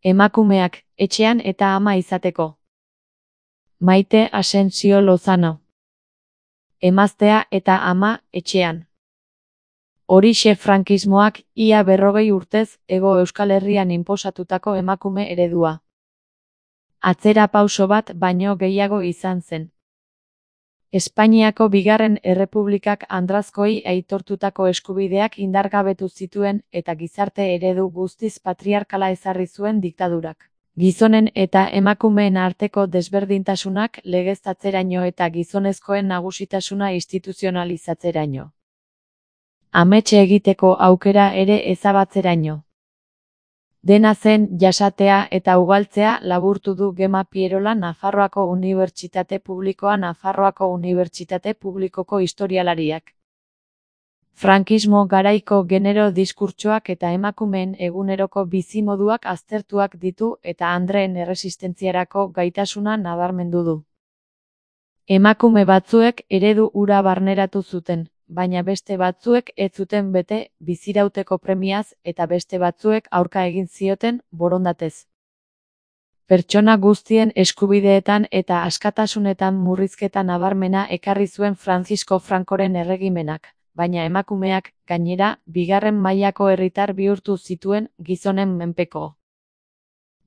Emakumeak, etxean eta ama izateko. Maite Asensio Lozano. Emaztea eta ama, etxean. Horixe frankismoak ia 40 urtez Hego Euskal Herrian inposatutako emakume eredua. Atzera pauso bat baino gehiago izan zen. Espainiako Bigarren Errepublikak andrazkoei aitortutako eskubideak indargabetu zituen eta gizarte eredu guztiz patriarkala ezarri zuen diktadurak. Gizonen eta emakumeen arteko desberdintasunak legeztatzeraino eta gizonezkoen nagusitasuna instituzionalizatzeraino. Amets egiteko aukera ere ezabatzeraino. Dena zen jasatea eta ugaltzea laburtu du Gema Pierola Nafarroako Unibertsitate Publikoa Nafarroako Unibertsitate Publikoko historialariak. Frankismo garaiko genero diskurtsoak eta emakumeen eguneroko bizimoduak aztertuak ditu eta andreen erresistentziarako gaitasuna nabarmendu du. Emakume batzuek eredu hura barneratu zuten, baina beste batzuek ez zuten bete bizirauteko premiaz eta beste batzuek aurka egin zioten borondatez. Pertsona guztien eskubideetan eta askatasunetan murrizketa nabarmena ekarri zuen Francisco Francoren erregimenak, baina emakumeak, gainera, bigarren mailako herritar bihurtu zituen gizonen menpeko.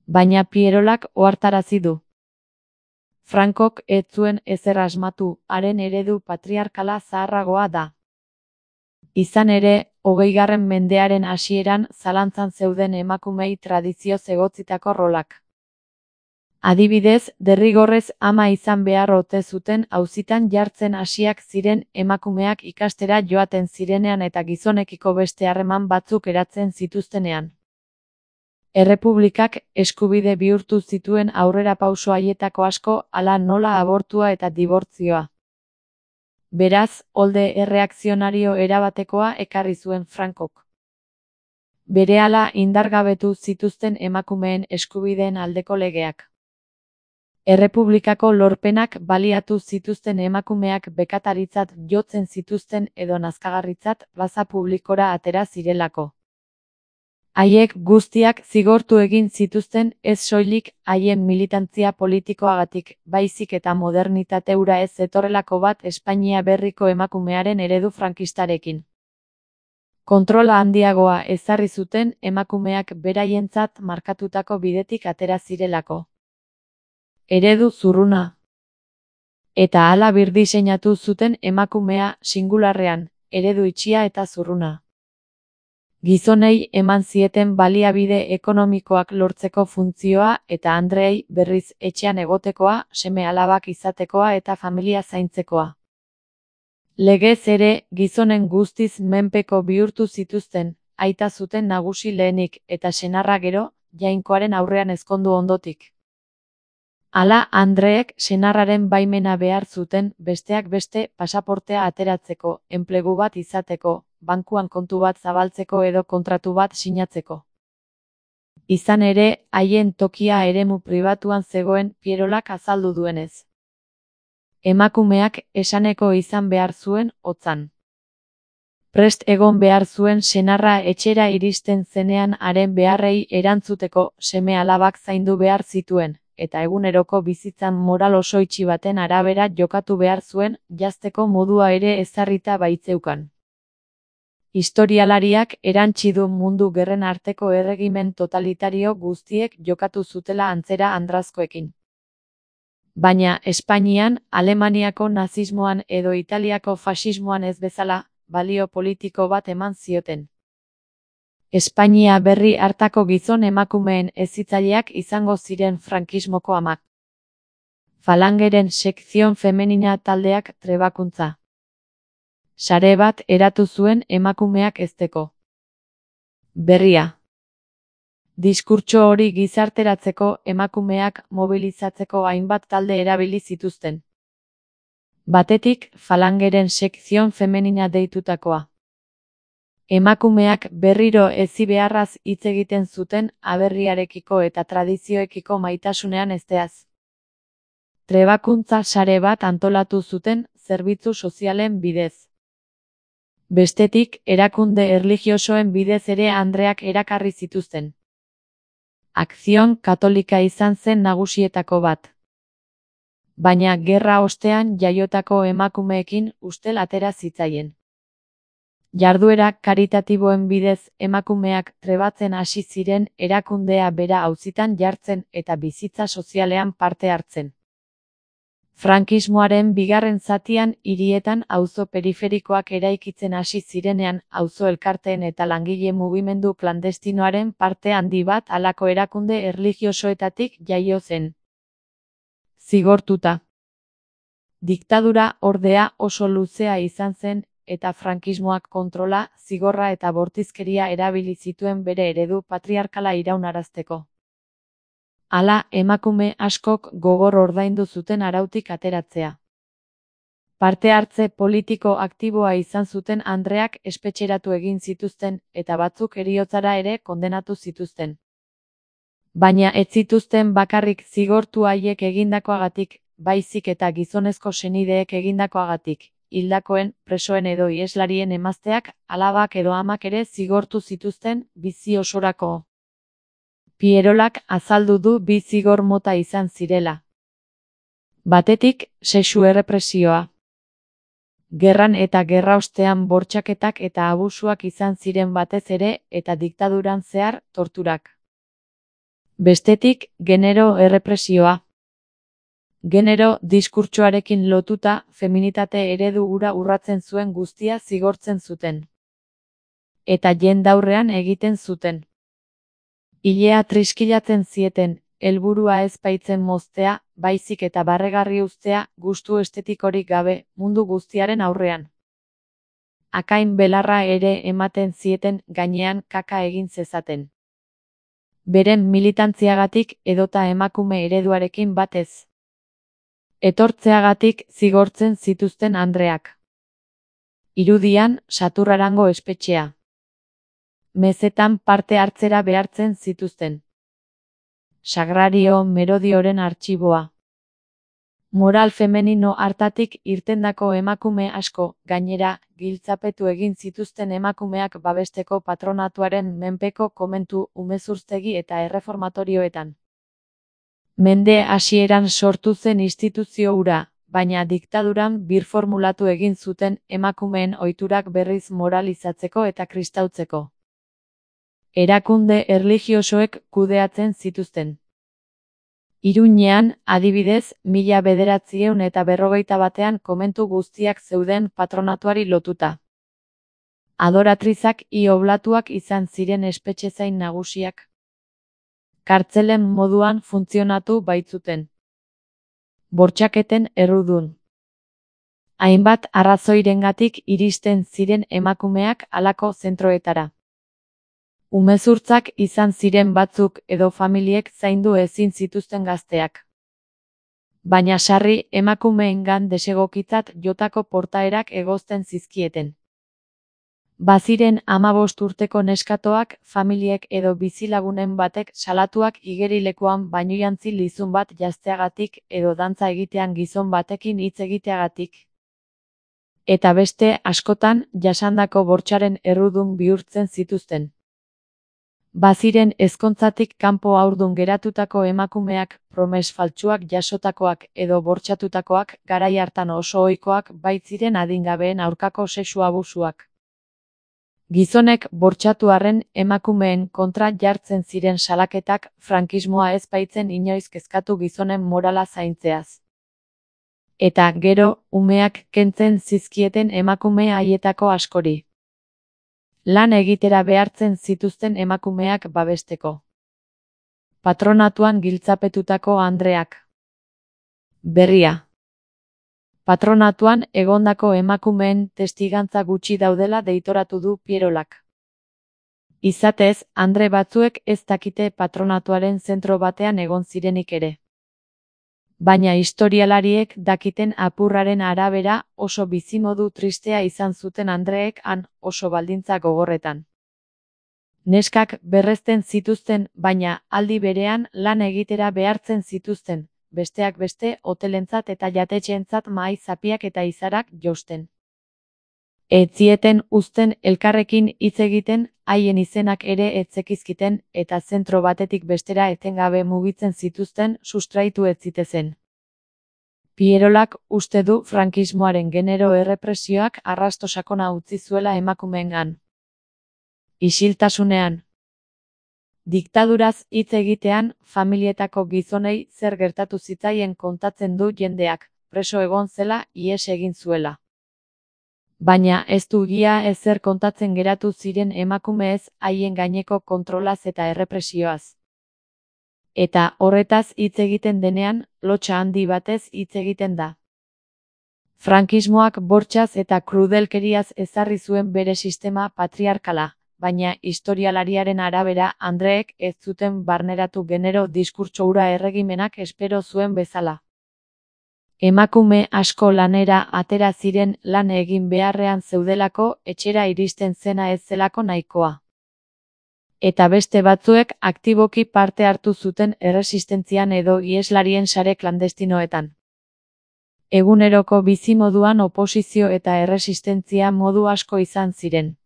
Baina Pierolak ohartarazi du. Frankok ez zuen ezer asmatu, haren eredu patriarkala zaharragoa da. Izan ere, 20. mendearen hasieran zalantzan zeuden emakumei tradizioz egotzitako rolak. Adibidez, derrigorrez ama izan behar ote zuten auzitan jartzen hasiak ziren emakumeak ikastera joaten zirenean eta gizonekiko beste harreman batzuk eratzen zituztenean. Errepublikak eskubide bihurtu zituen aurrerapauso haietako asko, hala nola abortua eta dibortzioa. Beraz, olde erreakzionario erabatekoa ekarri zuen Frankok. Berehala indargabetu zituzten emakumeen eskubideen aldeko legeak. Errepublikako lorpenak baliatu zituzten emakumeak bekataritzat jotzen zituzten edo nazkagarritzat plaza publikora atera zirelako. Haiek guztiak zigortu egin zituzten ez soilik haien militantzia politikoagatik, baizik eta modernitate hura ez zetorrelako bat Espainia berriko emakumearen eredu frankistarekin. Kontrola handiagoa ezarri zuten emakumeak beraientzat markatutako bidetik atera zirelako. Eredu zurruna. Eta hala birdiseinatu zuten emakumea singularrean, eredu itxia eta zurruna. Gizonei eman zieten baliabide ekonomikoak lortzeko funtzioa eta andreei berriz etxean egotekoa, seme-alabak izatekoa eta familia zaintzekoa. Legez ere, gizonen guztiz menpeko bihurtu zituzten, aita zuten nagusi lehenik eta senarra gero, jainkoaren aurrean ezkondu ondotik. Hala, andreek senarraren baimena behar zuten, besteak beste pasaportea ateratzeko, enplegu bat izateko, bankuan kontu bat zabaltzeko edo kontratu bat sinatzeko. Izan ere, haien tokia eremu pribatuan zegoen Pierolak azaldu duenez. Emakumeak esaneko izan behar zuen hotzan. Prest egon behar zuen senarra etxera iristen zenean haren beharrei erantzuteko seme-alabak zaindu behar zituen, eta eguneroko bizitzan moral oso itxi baten arabera jokatu behar zuen, jazteko modua ere ezarrita baitzeukan. Historialariak erantsi du mundu gerren arteko erregimen totalitario guztiek jokatu zutela antzera andrazkoekin. Baina, Espainian, Alemaniako nazismoan edo Italiako fasismoan ez bezala, balio politiko bat eman zioten. Espainia berri hartako gizon emakumeen hezitzaileak izango ziren frankismoko amak. Falangeren sekzion femenina taldeak trebakuntza. Sare bat eratu zuen emakumeak hezteko. Berria. Diskurtso hori gizarteratzeko emakumeak mobilizatzeko hainbat talde erabili zituzten. Batetik, Falangeren sekzion femenina deitutakoa. Emakumeak berriro hezi beharraz hitz egiten zuten aberriarekiko eta tradizioekiko maitasunean hezteaz. Trebakuntza sare bat antolatu zuten zerbitzu sozialen bidez. Bestetik, erakunde erlijiosoen bidez ere andreak erakarri zituzten. Akzion Katolika izan zen nagusietako bat. Baina gerra ostean jaiotako emakumeekin ustel atera zitzaien. Jarduera karitatiboen bidez emakumeak trebatzen hasi ziren erakundea bera auzitan jartzen eta bizitza sozialean parte hartzen. Frankismoaren bigarren zatian hirietan auzo periferikoak eraikitzen hasi zirenean auzo elkarteen eta langile mugimendu klandestinoaren parte handi bat halako erakunde erlijiosoetatik jaio zen. Zigortuta. Diktadura ordea oso luzea izan zen eta frankismoak kontrola, zigorra eta bortizkeria erabili zituen bere eredu patriarkala iraunarazteko. Hala, emakume askok gogor ordaindu zuten arautik ateratzea. Parte hartze politiko aktiboa izan zuten andreak espetxeratu egin zituzten eta batzuk heriotzara ere kondenatu zituzten. Baina ez zituzten bakarrik zigortu haiek egindakoagatik, baizik eta gizonezko senideek egindakoagatik, hildakoen, presoen edo iheslarien emazteak, alabak edo amak ere zigortu zituzten bizi osorako. Pierolak azaldu du bi zigor mota izan zirela. Batetik, sexu errepresioa. Gerran eta gerraostean bortxaketak eta abusuak izan ziren batez ere eta diktaduran zehar torturak. Bestetik, genero errepresioa. Genero diskurtsoarekin lotuta, feminitate eredu hura urratzen zuen guztia zigortzen zuten. Eta jendaurrean egiten zuten. Ilea triskilatzen zieten, helburua ez baitzen moztea, baizik eta barregarri uztea, gustu estetikorik gabe, mundu guztiaren aurrean. Akain belarra ere ematen zieten gainean kaka egin zezaten. Beren militantziagatik edota emakume ereduarekin batez. Etortzeagatik zigortzen zituzten andreak. Irudian, Saturrarango espetxea. Mezetan parte hartzera behartzen zituzten. Sagrario Merodioren artxiboa. Moral femenino hartatik irtendako emakume asko, gainera, giltzapetu egin zituzten emakumeak babesteko patronatuaren menpeko komentu, umezurtegi eta erreformatorioetan. Mende hasieran sortu zen instituzio hura, baina diktaduran birformulatu egin zuten emakumeen ohiturak berriz moralizatzeko eta kristautzeko. Erakunde erlijiosoek kudeatzen zituzten. Iruñean, adibidez, 1941 komentu guztiak zeuden patronatuari lotuta. Adoratrizak i oblatuak izan ziren espetxezain nagusiak. Kartzelen moduan funtzionatu baitzuten. Bortxaketen errudun. Hainbat arrazoirengatik iristen ziren emakumeak halako zentroetara. Umezurtzak izan ziren batzuk edo familiek zaindu ezin zituzten gazteak. Baina sarri emakumeengan desegokitzat jotako portaerak egozten zizkieten. Baziren 15 urteko neskatoak, familiek edo bizilagunen batek salatuak igerilekuan bainujantzi lizun bat jazteagatik edo dantza egitean gizon batekin hitz egiteagatik. Eta beste askotan jasandako bortxaren errudun bihurtzen zituzten. Baziren ezkontzatik kanpo haurdun geratutako emakumeak, promes faltsuak jasotakoak edo bortxatutakoak, garai hartan oso ohikoak baitziren adingabeen aurkako sexu abusuak. Gizonek bortxatu arren emakumeen kontra jartzen ziren salaketak, frankismoa ez baitzen inoiz kezkatu gizonen morala zaintzeaz. Eta gero, umeak kentzen zizkieten emakume haietako askori. Lan egitera behartzen zituzten emakumeak babesteko. Patronatuan giltzapetutako andreak. Berria. Patronatuan egondako emakumeen testigantza gutxi daudela deitoratu du Pierolak. Izatez, andre batzuek ez dakite patronatuaren zentro batean egon zirenik ere. Baina historialariek dakiten apurraren arabera oso bizimodu tristea izan zuten andreek han oso baldintza gogorretan. Neskak berrezten zituzten, baina aldi berean lan egitera behartzen zituzten, besteak beste hotelentzat eta jatetxeentzat mahai zapiak eta izarak jausten. Ez zieten uzten elkarrekin hitz egiten, haien izenak ere ez zekizkiten, eta zentro batetik bestera etengabe mugitzen zituzten sustraitu ez zitezen. Pierolak uste du frankismoaren genero errepresioak arrasto sakona utzi zuela emakumeengan. Isiltasunean. Diktaduraz hitz egitean, familietako gizonei zer gertatu zitzaien kontatzen du jendeak, preso egon zela, ihes egin zuela. Baina ez du ia ezer kontatzen geratu ziren emakumeez haien gaineko kontrolaz eta errepresioaz. Eta horretaz hitz egiten denean, lotsa handi batez hitz egiten da. Frankismoak bortxaz eta krudelkeriaz ezarri zuen bere sistema patriarkala, baina historialariaren arabera Andreek ez zuten barneratu genero diskurtso hura erregimenak espero zuen bezala. Emakume asko lanera atera ziren lan egin beharrean zeudelako etxera iristen zena ez zelako nahikoa. Eta beste batzuek aktiboki parte hartu zuten erresistentzian edo iheslarien sare klandestinoetan. Eguneroko bizimoduan oposizio eta erresistentzia modu asko izan ziren.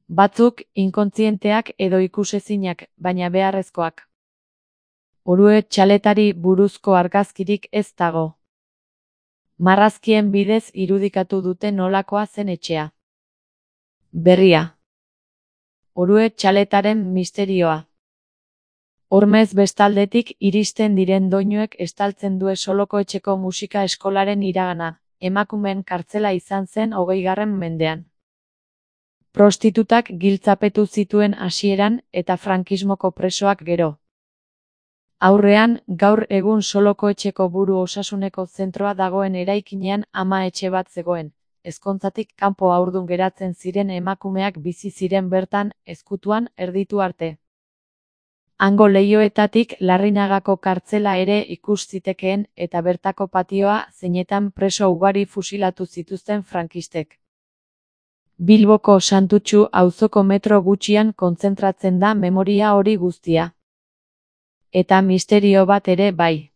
Batzuk inkontzienteak edo ikusezinak, baina beharrezkoak. Orue txaletari buruzko argazkirik ez dago. Marrazkien bidez irudikatu dute nolakoa zen etxea. Berria. Orue txaletaren misterioa. Hormez bestaldetik iristen diren doinuek estaltzen due Soloko Etxeko musika eskolaren iragana, emakumeen kartzela izan zen 20. mendean. Prostitutak giltzapetu zituen hasieran eta frankismoko presoak gero. Aurrean, gaur egun Soloko Etxeko buru osasuneko zentroa dagoen eraikinean ama etxe bat zegoen. Ezkontzatik kanpo haurdun geratzen ziren emakumeak bizi ziren bertan, ezkutuan erditu arte. Hango leihoetatik Larrinagako kartzela ere ikus zitekeen eta bertako patioa zeinetan preso ugari fusilatu zituzten frankistek. Bilboko Santutxu auzoko metro gutxian kontzentratzen da memoria hori guztia. Eta misterio bat ere bai.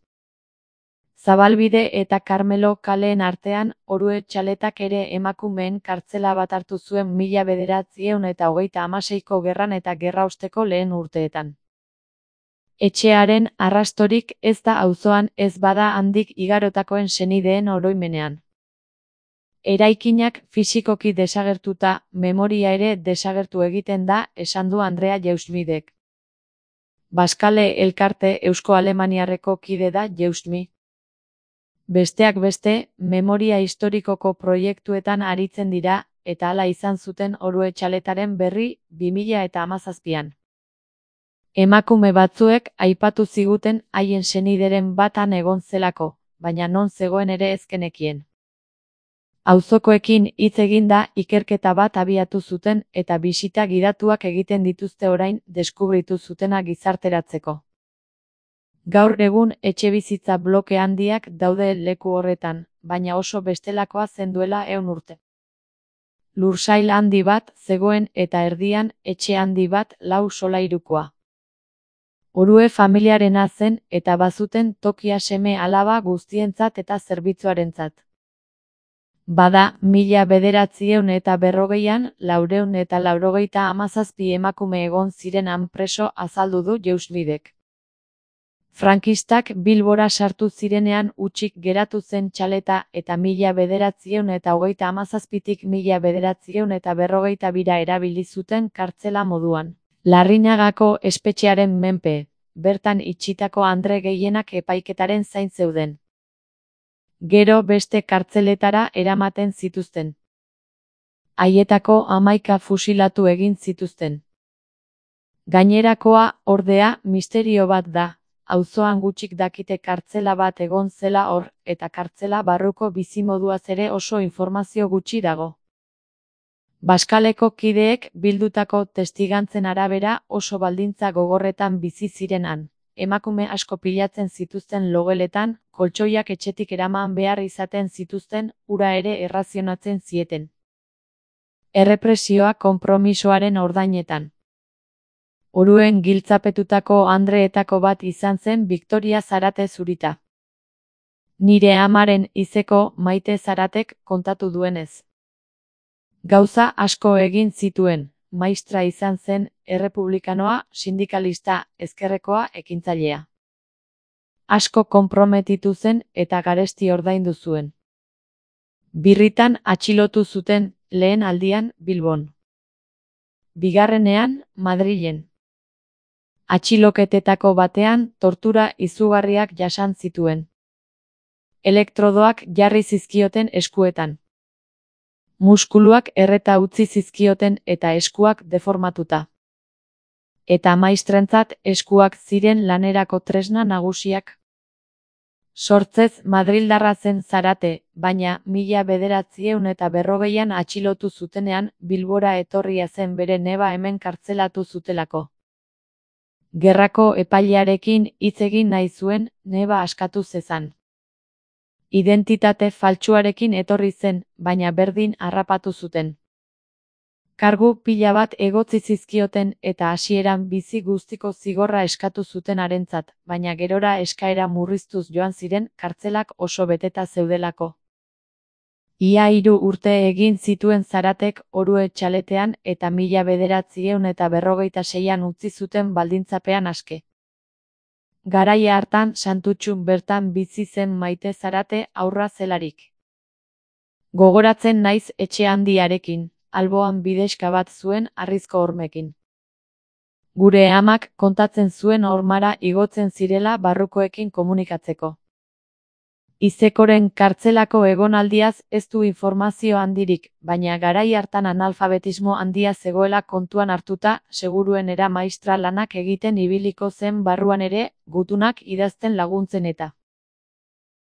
Zabalbide eta Karmelo kaleen artean, Orue txaletak ere emakumeen kartzela bat hartu zuen 1936ko gerran eta gerraosteko lehen urteetan. Etxearen arrastorik ez da auzoan ez bada handik igarotakoen senideen oroimenean. Eraikinak fisikoki desagertuta, memoria ere desagertu egiten da, esan du Andrea Jeusmidek. Baskale elkarte Eusko-Alemaniarreko kide da Jeusmi. Besteak beste, memoria historikoko proiektuetan aritzen dira, eta hala izan zuten Orue txaletaren berri 2017an. Emakume batzuek aipatu ziguten haien senideren batan egon zelako, baina non zegoen ere ezkenekien. Auzokoekin hitz eginda ikerketa bat abiatu zuten eta bisita gidatuak egiten dituzte orain deskubritu zutena gizarteratzeko. Gaur egun etxebizitza bloke handiak daude leku horretan, baina oso bestelakoa zen duela 100 urte. Lursail handi bat zegoen eta erdian etxe handi bat 4 solairukoa. Orue familiarena zen eta bazuten tokia seme alaba guztientzat eta zerbitzuarentzat. Bada, 1940an 497 emakume egon ziren han preso azaldu du Jeusmidek. Frankistak Bilbora sartu zirenean hutsik geratu zen txaleta eta 1937tik 1942ra erabili zuten kartzela moduan. Larrinagako espetxearen menpe, bertan itxitako andre gehienak epaiketaren zain zeuden. Gero beste kartzeletara eramaten zituzten. Haietako 11 fusilatu egin zituzten. Gainerakoa, ordea, misterio bat da. Auzoan gutxik dakite kartzela bat egon zela hor, eta kartzela barruko bizimoduaz ere oso informazio gutxi dago. Baskaleko kideek bildutako testigantzen arabera oso baldintza gogorretan bizi ziren han. Emakume asko pilatzen zituzten logeletan, koltsoiak etxetik eraman behar izaten zituzten, ura ere errazionatzen zieten. Errepresioa konpromisoaren ordainetan. Oruen giltzapetutako andreetako bat izan zen Victoria Zarate Zurita. Nire amaren izeko Maite Zaratek kontatu duenez. Gauza asko egin zituen, maistra izan zen, errepublikanoa, sindikalista, ezkerrekoa, ekintzailea. Asko konprometitu zen eta garesti ordaindu zuen. Birritan atxilotu zuten, lehen aldian, Bilbon. Bigarrenean, Madrilen. Atxiloketetako batean tortura izugarriak jasan zituen. Elektrodoak jarri zizkioten eskuetan. Muskuluak erreta utzi zizkioten eta eskuak deformatuta. Eta maistrentzat eskuak ziren lanerako tresna nagusiak. Sortzez Madrildarra zen Zarate, baina 1940an atxilotu zutenean Bilbora etorria zen bere neba hemen kartzelatu zutelako. Gerrako epailearekin hitz egin nahi zuen, neba askatu zezan. Identitate faltsuarekin etorri zen, baina berdin harrapatu zuten. Kargu pila bat egotzi zizkioten eta hasieran bizi guztiko zigorra eskatu zuten harentzat, baina gerora eskaera murriztuz joan ziren kartzelak oso beteta zeudelako. Ia 3 urte egin zituen Zaratek Orue txaletean eta 1946an utzi zuten baldintzapean aske. Garaia hartan Santutxun bertan bizi zen Maite Zarate haurra zelarik. Gogoratzen naiz etxe handiarekin, alboan bidexka bat zuen harrizko hormekin. Gure amak kontatzen zuen hormara igotzen zirela barrukoekin komunikatzeko. Izekoren kartzelako egonaldiaz ez du informazio handirik, baina garai hartan analfabetismo handia zegoela kontuan hartuta, seguruenera maistra lanak egiten ibiliko zen barruan ere, gutunak idazten laguntzen eta.